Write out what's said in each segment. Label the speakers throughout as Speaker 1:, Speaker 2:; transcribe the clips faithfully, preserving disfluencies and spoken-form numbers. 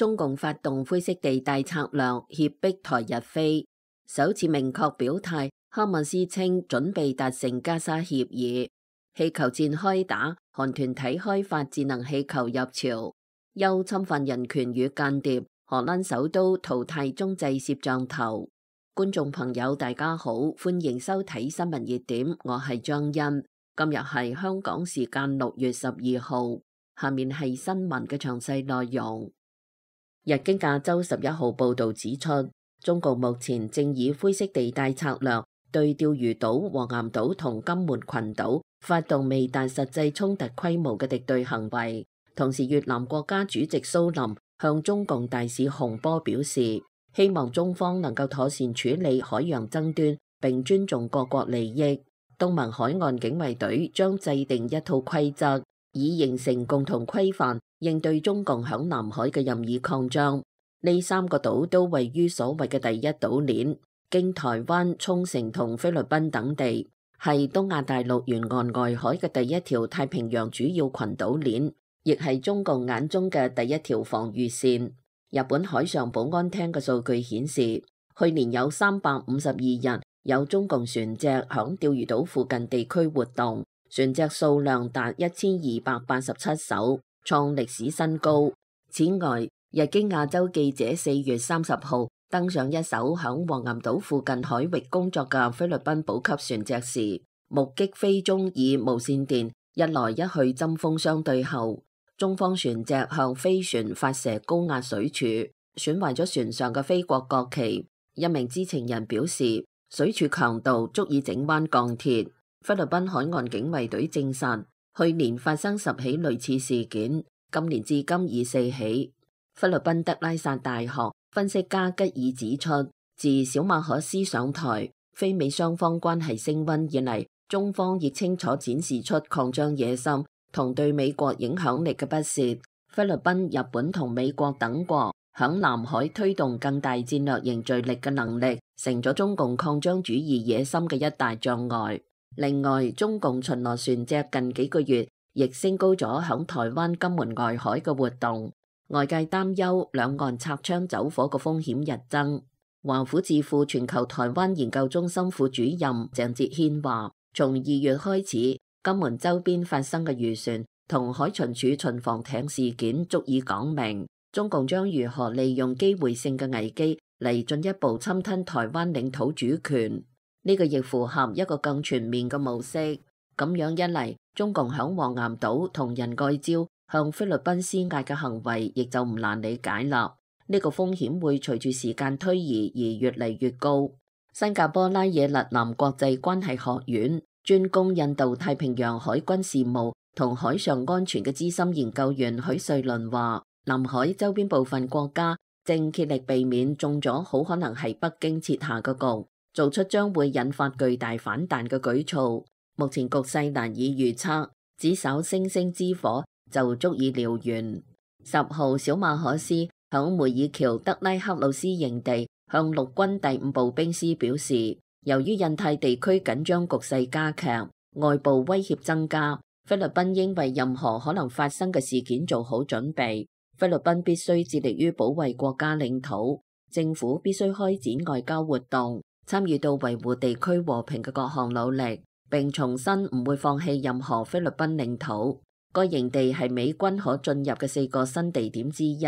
Speaker 1: 中共發動灰色地帶策略，脅迫台日飛，首次明確表態。哈馬斯稱準備達成加沙協議。氣球戰開打，韓團體開發智能氣球入朝。憂侵犯人權與間諜，荷蘭首都淘汰中製攝像頭。觀眾朋友大家好，歡迎收睇新聞熱點，我係張欣。今日係香港時間六月十二號，下面係新聞嘅詳細內容。日經亞洲十一號報導指出，中共目前正以灰色地帶策略對釣魚島、黃岩島同金門群島發動未達實際衝突規模嘅敵對行為。同時，越南國家主席蘇林向中共大使洪波表示，希望中方能夠妥善處理海洋爭端並尊重各國利益。東盟海岸警衛隊將制定一套規則，以形成共同規範，應對中共響南海嘅任意擴張。呢三個島都位於所謂嘅第一島鏈，經台灣、沖繩同菲律賓等地，係東亞大陸沿岸外海嘅第一條太平洋主要群島鏈，亦係中共眼中嘅第一條防禦線。日本海上保安廳嘅數據顯示，去年有三百五十二日有中共船隻響釣魚島附近地區活動，船隻數量達一千二百八十七艘，創歷史新高。此外，日經亞洲記者四月三十號登上一艘響黃岩島附近海域工作嘅菲律賓補給船隻時，目擊菲中以無線電一來一去針鋒相對後，中方船隻向菲船發射高壓水柱，損壞咗船上嘅菲國國旗。一名知情人表示，水柱強度足以整彎鋼鐵。菲律賓海岸警衛隊證實，去年發生十起類似事件，今年至今已四起。菲律賓德拉薩大學分析家吉爾指出，自小馬可斯上台，菲美雙方關係升溫以嚟，中方亦清楚展示出擴張野心同對美國影響力嘅不屑。菲律賓、日本同美國等國響南海推動更大戰略凝聚力嘅能力，成咗中共擴張主義野心嘅一大障礙。另外，中共巡邏船隻近幾個月亦升高咗響台灣金門外海嘅活動，外界擔憂兩岸擦槍走火嘅風險日增。華府智庫全球台灣研究中心副主任鄭哲軒話，從二月開始，金門周邊發生嘅漁船同海巡署巡防艇事件足以講明，中共將如何利用機會性嘅危機嚟進一步侵吞台灣領土主權。呢個亦符合一個更全面嘅模式。咁樣一嚟，中共響黃岩島同仁愛礁向菲律賓施壓嘅行為，亦就唔難理解啦。呢個風險會隨住時間推移而越嚟越高。新加坡拉惹勒南國際關係學院專攻印度太平洋海軍事務同海上安全嘅資深研究員許瑞倫話，南海周邊部分國家正竭力避免中咗好可能係北京設下嘅局，做出將會引發巨大反彈嘅舉措。目前局勢難以預測，只稍星星之火就足以燎原。十號，小馬可斯響梅爾橋德拉克魯斯營地向陸軍第五步兵師表示，由於印太地區緊張局勢加劇，外部威脅增加，菲律賓應為任何可能發生嘅事件做好準備。菲律賓必須致力於保衛國家領土，政府必須開展外交活動，參與到維護地區和平嘅各項努力，並重申唔會放棄任何菲律賓領土。該營地係美軍可進入嘅四個新地點之一。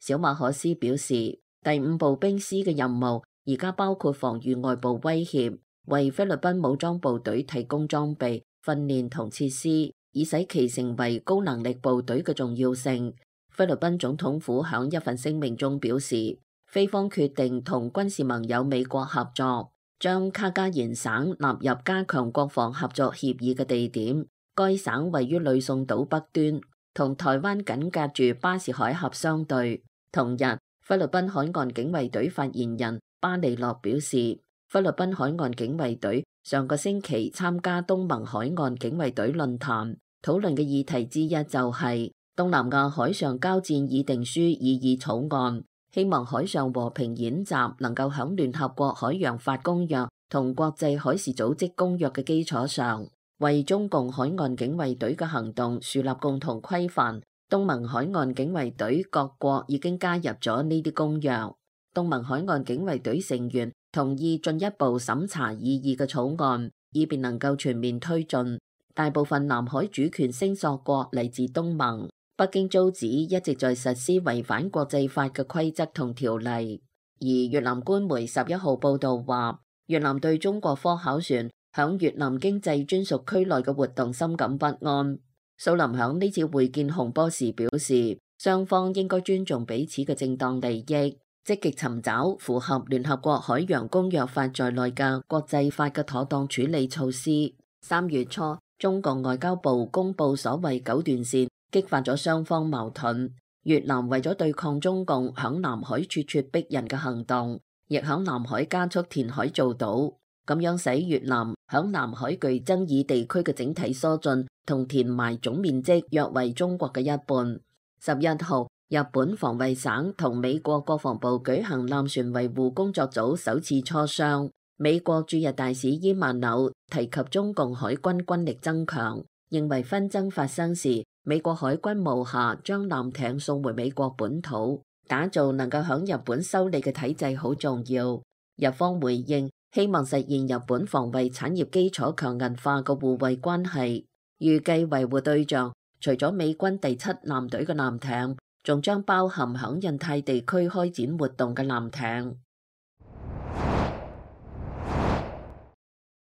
Speaker 1: 小馬可斯表示，第五步兵師嘅任務而家包括防禦外部威脅，為菲律賓武裝部隊提供裝備、訓練同設施，以使其成為高能力部隊嘅重要性。菲律賓總統府響一份聲明中表示，菲方決定同軍事盟友美國合作，將卡加延省納入加強國防合作協議嘅地點。該省位於呂宋島北端，同台灣緊隔住巴士海峽相對。同日，菲律賓海岸警衛隊發言人巴尼諾表示，菲律賓海岸警衛隊上個星期參加東盟海岸警衛隊論壇，討論嘅議題之一就係東南亞海上交戰議定書擬議草案，希望海上和平演習能夠響聯合國海洋法公約同國際海事組織公約嘅基礎上，為中共海岸警衛隊嘅行動樹立共同規範，東盟海岸警衛隊各國已經加入咗呢啲公約。東盟海岸警衛隊成員同意進一步審查擬議嘅草案，以便能夠全面推進。大部分南海主權聲索國嚟自東盟，北京遭指一直在實施違反國際法嘅規則同條例。而越南官媒十一號報道話，越南對中國科考船響越南經濟專屬區內嘅活動深感不安。蘇林響呢次會見洪波時表示，雙方應該尊重彼此嘅正當利益，積極尋找符合聯合國海洋公約法在內嘅國際法嘅妥當處理措施。三月初，中共外交部公布所謂九段線，激發咗雙方矛盾。越南為咗對抗中共響南海咄咄逼人嘅行動，亦響南海加速填海造島，咁樣使越南響南海具爭議地區嘅整體疏浚同填埋總面積約為中國嘅一半。十一號，日本防衛省同美國國防部舉行艦船維護工作組首次磋商。美國駐日大使伊萬紐提及中共海軍軍力增強，認為紛爭發生時，美國海軍無暇將艦艇送回美國本土，打造能夠響日本修理嘅體制好重要。日方回應，希望實現日本防衛產業基礎強韌化嘅互惠關係，預計維護對象除咗美軍第七艦隊嘅艦艇，仲將包含響印太地區開展活動嘅艦艇。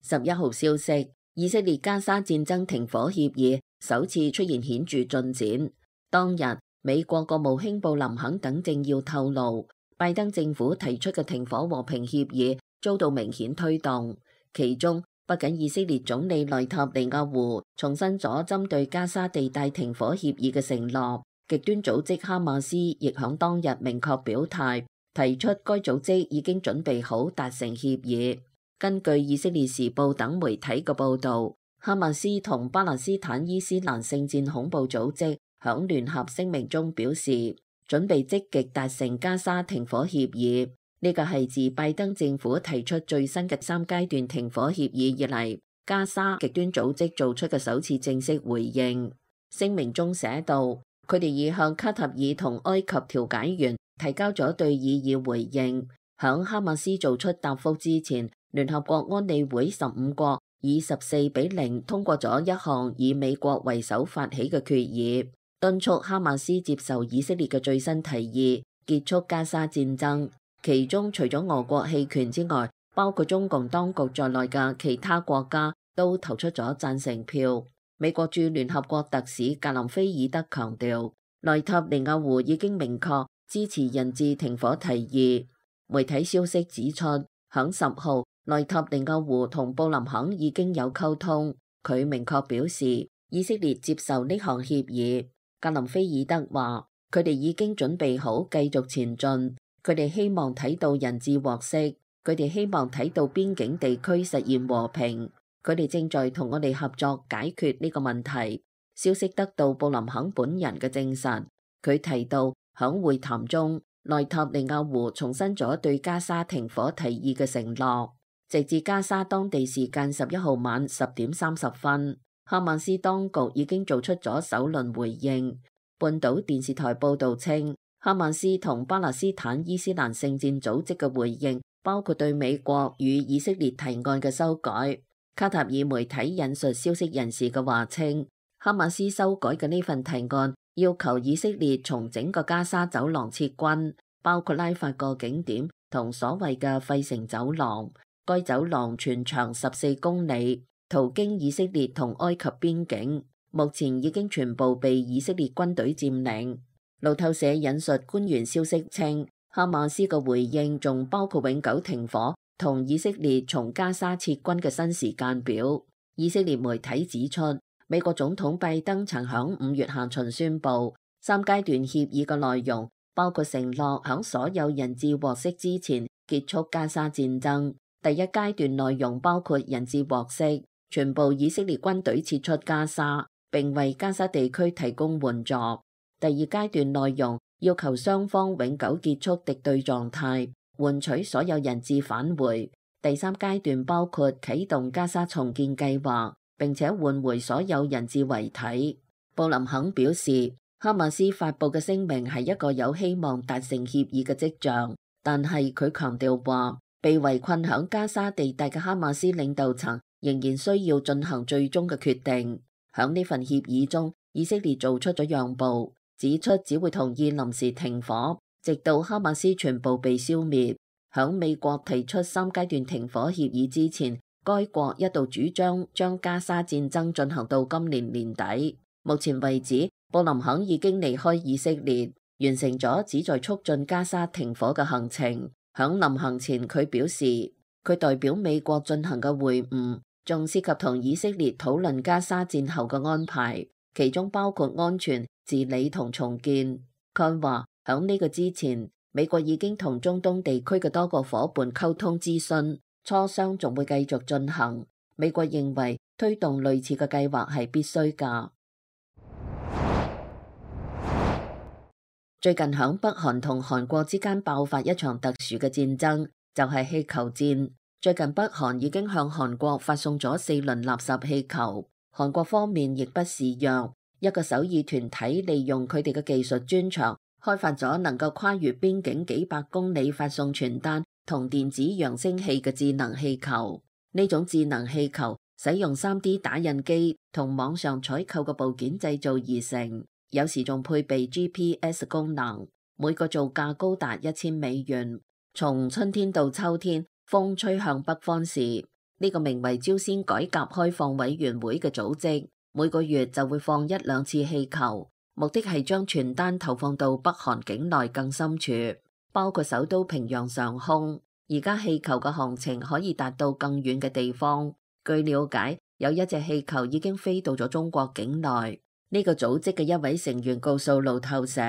Speaker 1: 十一號消息，以色列加沙戰爭停火協議首次出現顯著進展。當日，美國國務卿布林肯等政要透露，拜登政府提出嘅停火和平協議遭到明顯推動，其中不僅以色列總理內塔尼亞胡重申咗針對加沙地帶停火協議嘅承諾，極端組織哈馬斯亦響當日明確表態，提出該組織已經準備好達成協議。根據以色列時報等媒體嘅報導，哈馬斯同巴勒斯坦伊斯蘭聖戰恐怖組織響聯合聲明中表示，準備積極達成加沙停火協議。呢個係自拜登政府提出最新嘅三階段停火協議以嚟，加沙極端組織做出嘅首次正式回應。聲明中寫道，佢哋已向卡塔爾同埃及調解員提交咗對議議回應。響哈馬斯做出答覆之前，聯合國安理會十五國以十四比零通過咗一項以美國為首發起嘅決議，敦促哈馬斯接受以色列嘅最新提議，結束加沙戰爭。其中除咗俄國棄權之外，包括中共當局在內嘅其他國家都投出咗贊成票。美國駐聯合國特使格林菲爾德強調，內塔尼亞胡已經明確支持人質停火提議。媒體消息指出，響十號，內塔尼亞胡同布林肯已經有溝通，佢明確表示以色列接受呢項協議。格林菲爾德話，佢哋已經準備好繼續前進，佢哋希望睇到人質獲釋，佢哋希望睇到邊境地區實現和平，佢哋正在同我哋合作解決呢個問題。消息得到布林肯本人嘅證實，佢提到響會談中，內塔尼亞胡重申咗對加沙停火提議嘅承諾。直至加沙當地時間十一號晚十點三十分，哈馬斯當局已經做出咗首輪回應。半島電視台報導稱，哈馬斯同巴勒斯坦伊斯蘭聖戰組織嘅回應包括對美國與以色列提案嘅修改。卡塔爾媒體引述消息人士嘅話稱，哈馬斯修改嘅呢份提案要求以色列從整個加沙走廊撤軍，包括拉法個景點同所謂嘅費城走廊。該走廊全長十四公里，途經以色列同埃及邊境，目前已經全部被以色列軍隊佔領。路透社引述官員消息稱，哈馬斯嘅回應仲包括永久停火同以色列從加沙撤軍嘅新時間表。以色列媒體指出，美國總統拜登曾響五月下旬宣布，三階段協議嘅內容包括承諾響所有人質獲釋之前結束加沙戰爭。第一階段內容包括人質獲釋，全部以色列軍隊撤出加沙，並為加沙地區提供援助。第二階段內容要求雙方永久結束敵對狀態，換取所有人質返回。第三階段包括啟動加沙重建計劃，並且換回所有人質遺體。布林肯表示，哈馬斯發布嘅聲明係一個有希望達成協議嘅跡象，但係佢強調話，被圍困響加沙地帶嘅哈馬斯領導層仍然需要進行最終嘅決定。響呢份協議中，以色列做出咗讓步，指出只會同意臨時停火，直到哈馬斯全部被消滅。響美國提出三階段停火協議之前，該國一度主張將加沙戰爭進行到今年年底。目前為止，布林肯已經離開以色列，完成咗旨在促進加沙停火嘅行程。響臨行前，佢表示佢代表美國進行嘅會晤，仲涉及同以色列討論加沙戰後嘅安排，其中包括安全、治理同重建。佢話響呢個之前，美國已經同中東地區嘅多個夥伴溝通諮詢，磋商仲會繼續進行。美國認為推動類似嘅計劃係必須㗎。最近響北韓同韓國之間爆發一場特殊嘅戰爭，就係氣球戰。最近北韓已經向韓國發送咗四輪垃圾氣球，韓國方面亦不示弱，一個首爾團體利用佢哋嘅技術專長，開發咗能夠跨越邊境幾百公里發送傳單同電子揚聲器嘅智能氣球。呢種智能氣球使用 三 D 打印機同網上採購嘅部件製造而成。有時仲配備 G P S 功能，每個造價高達一千美元。從春天到秋天，風吹向北方時，呢個名為朝鮮改革開放委員會嘅組織，每個月就會放一兩次氣球，目的係將傳單投放到北韓境內更深處，包括首都平壤上空。而家氣球嘅航程可以達到更遠嘅地方。據了解，有一隻氣球已經飛到咗中國境內。呢個組織嘅一位成員告訴路透社，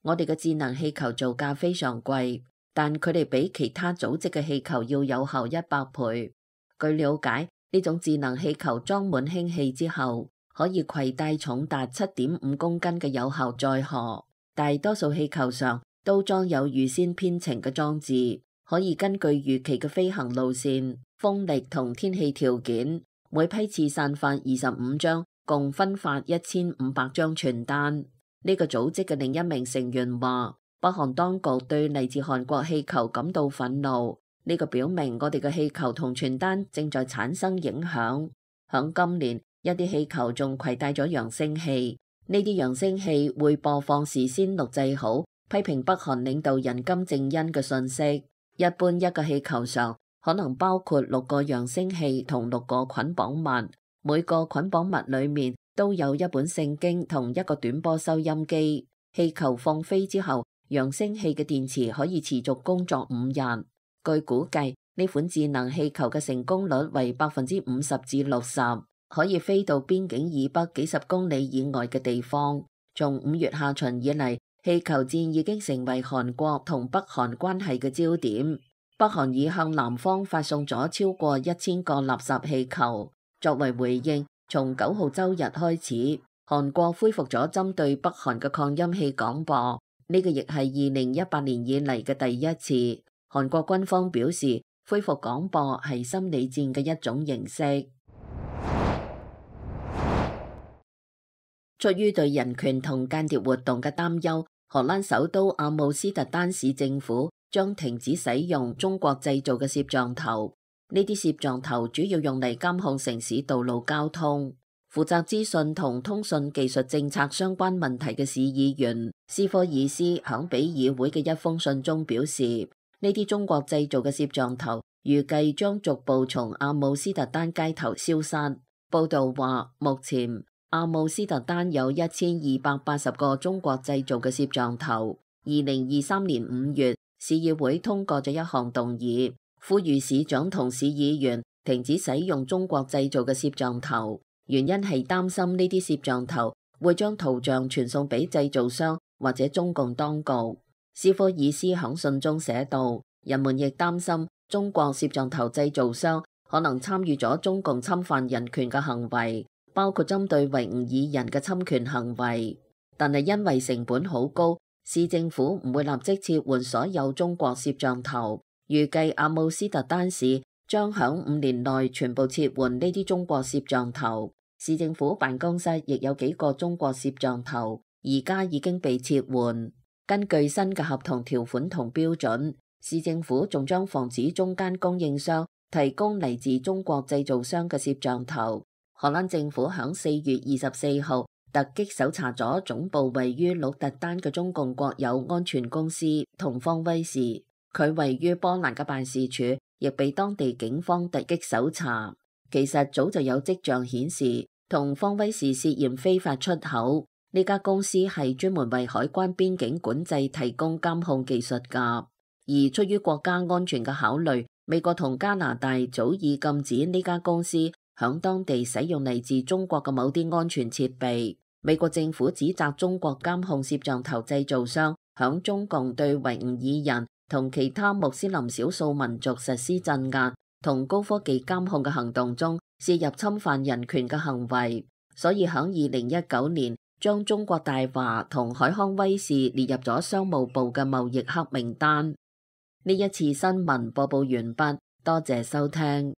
Speaker 1: 我哋嘅智能氣球造價非常貴，但佢哋比其他組織嘅氣球要有效一百倍。據了解，呢種智能氣球裝滿氫氣之後，可以攜帶重達七點五公斤嘅有效載荷。大多數氣球上都裝有預先編程嘅裝置，可以根據預期嘅飛行路線、風力同天氣條件，每批次散發二十五張，共分發一千五百張傳單。呢個組織嘅另一名成員話，北韓當局對嚟自韓國氣球感到憤怒，呢個表明我哋嘅氣球同傳單正在產生影響。響今年，一啲氣球仲攜帶咗揚聲器，呢啲揚聲器會播放事先錄製好批評北韓領導人金正恩嘅訊息。一般一個氣球上可能包括六個揚聲器同六個捆綁物。每個捆綁物裏面都有一本聖經同一個短波收音機。氣球放飛之後，揚聲器嘅電池可以持續工作五日。據估計，呢款智能氣球嘅成功率為百分之五十至六十，可以飛到邊境以北幾十公里以外嘅地方。從五月下旬以嚟，氣球戰已經成為韓國同北韓關係嘅焦點。北韓已向南方發送咗超過一千個垃圾氣球。作為回應，從九號周日開始，韓國恢復咗針對北韓嘅擴音器廣播，呢個亦係二零一八年以嚟嘅第一次。韓國軍方表示，恢復廣播係心理戰嘅一種形式。出於對人權同間諜活動嘅擔憂，荷蘭首都阿姆斯特丹市政府將停止使用中國製造嘅攝像頭。呢啲攝像頭主要用嚟監控城市道路交通。負責資訊同通訊技術政策相關問題嘅市議員斯科爾斯響俾議會嘅一封信中表示，呢啲中國製造嘅攝像頭預計將逐步從阿姆斯特丹街頭消失。報道話，目前阿姆斯特丹有一千二百八十個中國製造嘅攝像頭。二零二三年五月，市議會通過咗一項動議，呼籲市長同市議員停止使用中國製造嘅攝像頭，原因係擔心呢啲攝像頭會將圖像傳送俾製造商或者中共當局。斯科爾斯響信中寫道，人們亦擔心中國攝像頭製造商可能參與咗中共侵犯人權嘅行為，包括針對維吾爾人嘅侵權行為。但係因為成本好高，市政府唔會立即撤換所有中國攝像頭。預計阿姆斯特丹市將響五年內全部撤換呢啲中國攝像頭。市政府辦公室亦有幾個中國攝像頭，而家已經被撤換。根據新嘅合同條款同標準，市政府仲將防止中間供應商提供嚟自中國製造商嘅攝像頭。荷蘭政府響四月二十四號突擊搜查咗總部位於鹿特丹嘅中共國有安全公司同方威視，佢位於波蘭嘅辦事處亦被當地警方突擊搜查。其實早就有跡象顯示，同方威視涉嫌非法出口。呢家公司係專門為海關邊境管制提供監控技術㗎，而出於國家安全嘅考慮，美國同加拿大早已禁止呢家公司響當地使用嚟自中國嘅某啲安全設備。美國政府指責中國監控攝像頭製造商響中共對維吾爾人同其他穆斯林少數民族實施鎮壓同高科技監控嘅行動中涉入侵犯人權嘅行為，所以響二零一九年將中國大華同海康威視列入咗商務部嘅貿易黑名單。呢一次新聞播報完畢，多謝收聽。